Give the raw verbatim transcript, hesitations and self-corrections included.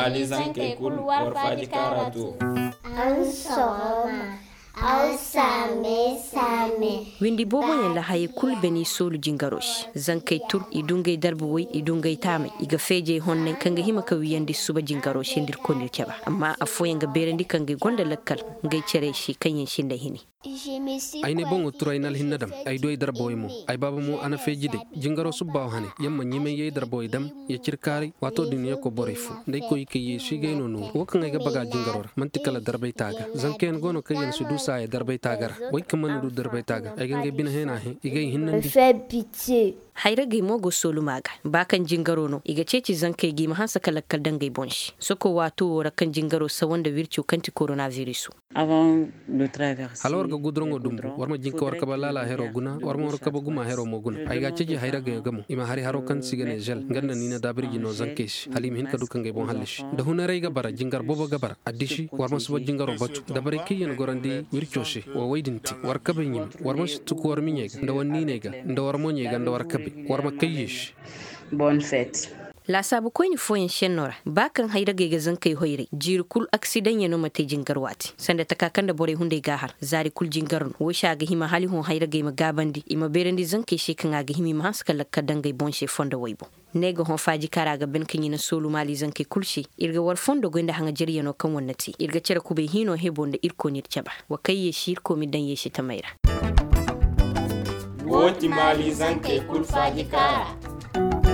Alizankey kul war faaji kaara too. Aw saame saame. Windi booboyaŋ ra hayey kul beni soolu jingaro se. Zankey tur i du ngey darba woy, i du ngey taamay, i ga feejey honnay kaŋ ga hima ka wiyandi suba jingaro se nda irkoy n'ir caba. Amma affooyaŋ ga beerandi kaŋ ngey gonda lakkal ngey cere se kaŋyaŋ sinda hini. Ay n'ay boŋo turay n'alhinne dam. Ay du ay darbawey mo. Ay baaba mo a na feeji day. Jingaro subbaawo hane, yamma ɲimay ye ay darbawey dam, ya cir kaaray. Waatoo din ya koy borey fo nda ay koy i kay yeesu i gay no nooru wo kaŋ ay ga baga jingaro ra man'ti kala darbay taaga. Zankayaŋ go no kaŋ yaŋ si du saaya darbay taaga ra. Wey kaŋ mana du darbay taaga ay ga ngey bine heena hẽ i gay hinnandi. Hayragey mo go sooluma ga ba kaŋ jingaro no i ga ceeci zankey ga i ma hanse ka lakkal daŋ ngey boŋ se soko waato wo ra kaŋ jingaro sawa nda wirco kaŋ ti korona viriso. Hala war ga guduraŋo dumbu war ma jinka war kabe laala hero guna war ma war kabe guma hero mo guna ay ga a ceeci hayragey ga mo i ma hari haro kaŋ se i ga ne zel nga nda niina daabirji no zankey se hala i ma hin ka du ka ngey boŋ hallasi. Da hunaray ga bara jingar boobo ga bara addisi war ma suba jingaro batu dabaray kaŋ yaŋ gorandi wirco se. Wa way din te war kabe ɲimi war ma si tuku war miɲey ga nda war niiney ga nda war moɲey ga nda war kabe war ma kayye se. Laasaabu koyne fooyaŋ šenno ra ba kaŋ hayragey ga zankey hoyray jiiri kul aksidaŋyaŋo ma te jingar waati sanda taka kaŋ nda borey hunday ga a har zaari kul jingar no wo se a ga hima hala i hõ hayragey ma gaabandi i ma beerandi zankey se kaŋ a ga hima i ma hanse ka lakkal daŋ ngey boŋ se fondo woy boŋ. Ne ga hõ faaji kaŋ ra a ga ban ka ɲina soolu maali zankey kul se. Ir ga war fondo goy nda haŋajaryaŋo kaŋ war na te ir ga cere kubay hiino hebo nda irkoy n'ir caba. Wa kay yeesi irkoy m'ir daŋ yeesi tamey ra. Wo ti maali zankey kul faaji kaŋ ra.